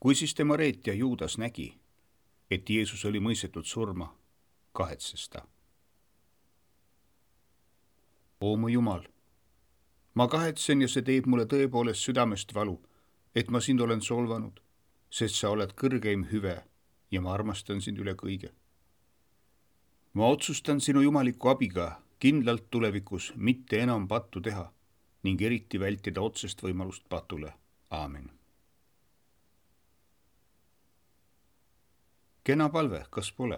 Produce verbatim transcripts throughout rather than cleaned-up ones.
Kui siis tema reetja Juudas nägi, et Jeesus oli mõistetud surma, kahetses ta. O mu Jumal, ma kahetsen ja see teeb mulle tõepoolest südamest valu, et ma sind olen solvanud, sest sa oled kõrgeim hüve ja ma armastan sind üle kõige. Ma otsustan sinu jumaliku abiga kindlalt tulevikus mitte enam pattu teha ning eriti vältida otsest võimalust patule. Aamen. Kena palve, kas pole,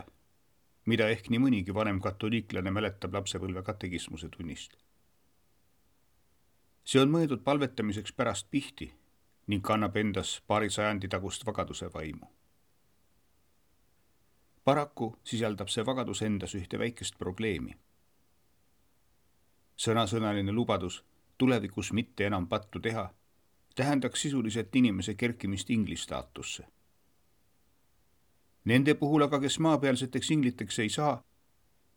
mida ehk nii mõnigi vanem katoliiklane mäletab lapsepõlve katekismuse tunnist. See on mõeldud palvetamiseks pärast pihti ning kannab endas paari sajandi tagust vagaduse vaimu. Paraku sisaldab see vagadus endas ühte väikest probleemi. Sõnasõnaline lubadus tulevikus mitte enam pattu teha tähendaks sisuliselt inimese kerkimist ingli staatusse. Nende puhul aga, kes maapealseteks ingliteks ei saa,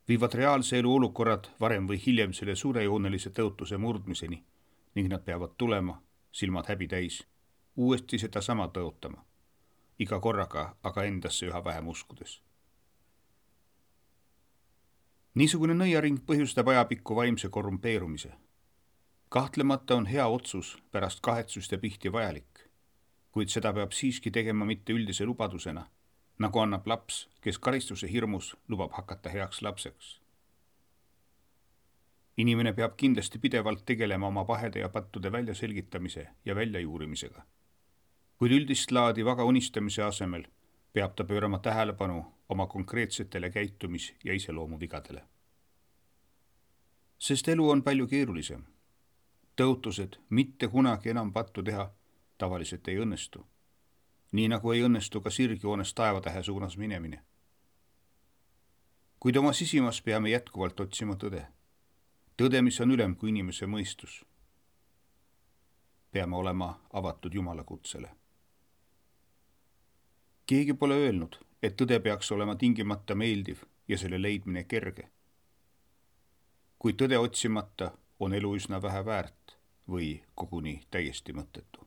viivad reaalse elu olukorrad varem või hiljem selle suurejoonelise tõotuse murdmiseni ning nad peavad tulema, silmad häbi täis, uuesti seda sama tõotama, iga korraga aga endasse üha vähem uskudes. Niisugune nõiaring põhjustab ajapikku vaimse korrumpeerumise. Kahtlemata on hea otsus pärast kahetsust ja pihti vajalik, kuid seda peab siiski tegema mitte üldise lubadusena, nagu annab laps, kes karistuse hirmus lubab hakata heaks lapseks. Inimene peab kindlasti pidevalt tegelema oma pahede ja pattude väljaselgitamise ja väljajuurimisega. Kuid üldist laadi vaga unistamise asemel peab ta pöörama tähelepanu oma konkreetsetele käitumis- ja iseloomuvigadele. Sest elu on palju keerulisem. Tõotused mitte kunagi enam pattu teha tavaliselt ei õnnestu. Nii nagu ei õnnestu ka sirgjoones taevatähe suunas minemine. Kuid oma sisimas peame jätkuvalt otsima tõde. Tõde, mis on ülem kui inimese mõistus. Peame olema avatud Jumala kutsele. Keegi pole öelnud, et tõde peaks olema tingimata meeldiv ja selle leidmine kerge. Kui tõde otsimata on elu üsna vähe väärt või koguni täiesti mõttetu.